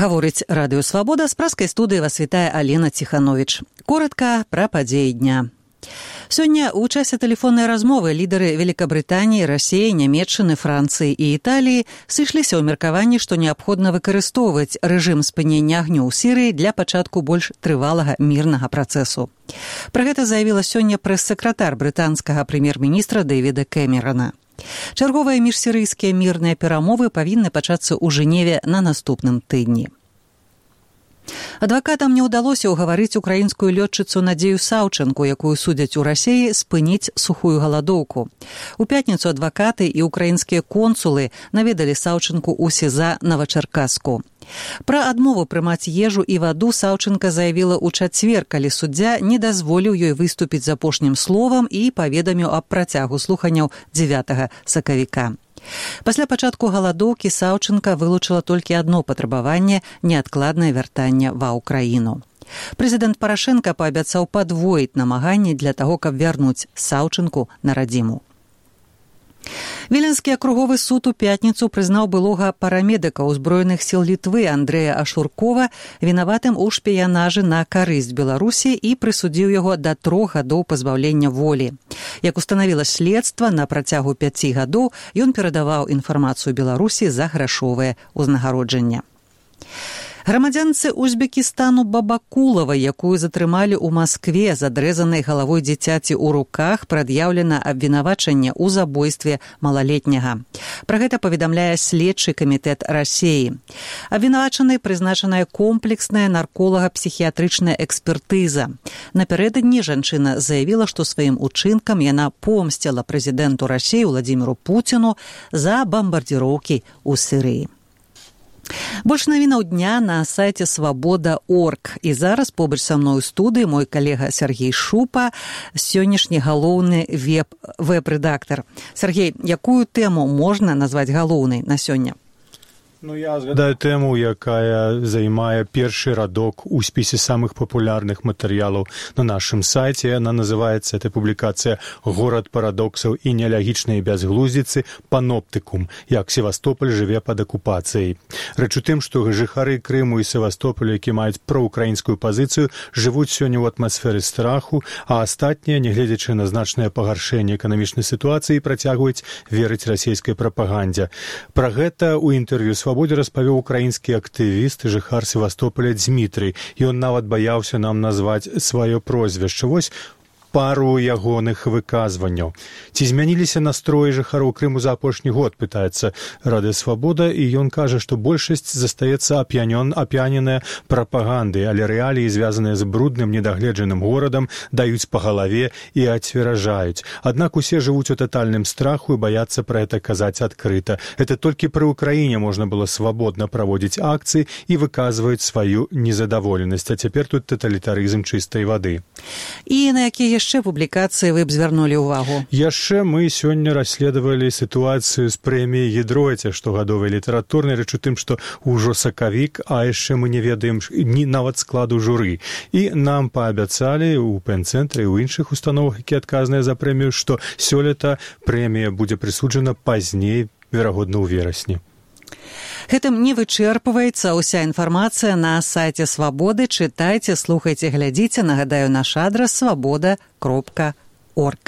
Гаворыць Радыё Свабода, з праскай студыі вас вітае Алена Ціхановіч. Коротка пра падзеі дня. Сёння ў часе тэлефоннай размовы лідары Великабрытаніі, Расіі, Нямецчыны, Францыі і Італіі сышліся ў меркаванні, што неабходна выкарыстоўваць рэжым спынення агню ў Сірыі для пачатку больш трывалага мірнага працэсу. Пра гэта заявіла сёння прэс-сакратар брытанскага прэм'ер-міністра Дэвіда Кэмерана. Чарговыя міжсірыйскія мірныя перамовы павінны пачацца ў Жэневе на наступным тыдні. Адвакатам не ўдалося ўгаварыць украінскую лётчыцу Надзею Саўчанку, якую судзяць у Расіі, спыніць сухую галадоўку. У пятніцу адвакаты і украінскія консулы наведалі Саўчанку ў СІЗА Новачаркасску. Пра адмову прымаць ежу і ваду Саўчанка заявіла ў чацвер, калі суддзя не дазволіў ёй выступіць з апошнім словам і паведаміў аб працягу слуханняў 9 сакавіка. Пасля пачатку галадоўкі Саўчанка вылучыла толькі адно патрабаванне – неадкладнае вяртанне ва ўкраіну. Прэзідэнт Парашэнка паабяцаў падвоіць намаганні для таго, каб вярнуць Саўчанку на радзіму. Віленскі акруговы суд у пятніцу прызнаў былога парамедыка ўзброеных сіл Літвы Андрэя Ашуркова вінаватым у шпіянажы на карысць Беларусі і прысудзіў яго да 3 гадоў пазбаўлення волі. Як устанавіла следства, на працягу 5 гадоў ён перадаваў інфармацыю Беларусі за грашовае ўзнагароджанне. Грамадзянцы Узбекістану Бабакулавай, якую затрымалі ў Маскве з адрэзанай галавой дзіцяці ў руках, прад'яўлена абвінавачанне ў забойстве малалетняга. Пра гэта паведамляе следчы камітэт Расіі. Абвінавачанай прызначаная комплексная нарколага-псіхіятрычная экспертыза. Напярэдадні жанчына заявіла, што сваім учынкам яна помсціла прэзідэнту Расіі Владзіміру Пуціну за бамбардзіроўкі ў Сірыі. Больш навінаў дня на сайце свабода.орг. І зараз побач са мной у студыі мой калега Сергей Шупа, сённяшні галоўны веб-рэдактар. Сергей, якую тэму можна назваць галоўнай на сёння? Я згадаю тэму, якая займае першы радок у спісе самых папулярных матэрыялаў на нашым сайце. Яна называецца, эта публікацыя, «Горад парадоксаў і неалягічнай бязглуздзіцы. Паноптыкум. Як Севастополь жыве пад акупацыяй». Рэч у тым, што жыхары Крыму і Севастополя, які маюць праўкраінскую пазіцыю, жывуць сёння ў атмасферы страху, а астатнія, нягледзячы на значнае пагаршэнне эканамічнай сітуацыі, працягваюць верыць расійскай прапагандзе. Пра гэта ў інтэрв'ю «Свабодзе» распавёў украінскі актывіст і жыхар Севастополя Дзмітрый. Ён нават баяўся нам назваць сваё прозвішча. Вось пару ягоных выказванняў. Ці змяніліся настроі жыхароў Крыму за апошні год, пытаецца Радыё Свабода, і ён кажа, што большасць застаецца ап'яненая прапагандай, але рэаліі, звязаныя з брудным, недагледжаным горадам, даюць па галаве і ацверажаюць. Аднак усе жывуць у татальным страху і баяцца пра гэта казаць адкрыта. Это толькі пры ўкраіне можна было свабодна праводзіць акцыі і выказваюць сваю незадаволенасць. А цяпер тут таталітарызм чыстай вады. І на якія яшчэ публікацыі вы б звярнулі ўвагу? Яшчэ мы сёння расследавалі сітуацыю з прэміяй Гідроця штогадовай літаратурнай, рэч у тым, што ўжо сакавік, а яшчэ мы не ведаем ні нават складу журы. І нам паабяцалі ў пэн-цэнтры і ў іншых установах, якія адказныя за прэмію, што сёлета прэмія будзе прысуджана пазней, верагодна, ў верасні. Гэтым не вычэрпваецца ўся інфармацыя на сайце Свабоды. Чытайце, слухайце, глядзіце. Нагадаю, наш адрас свабода.орг.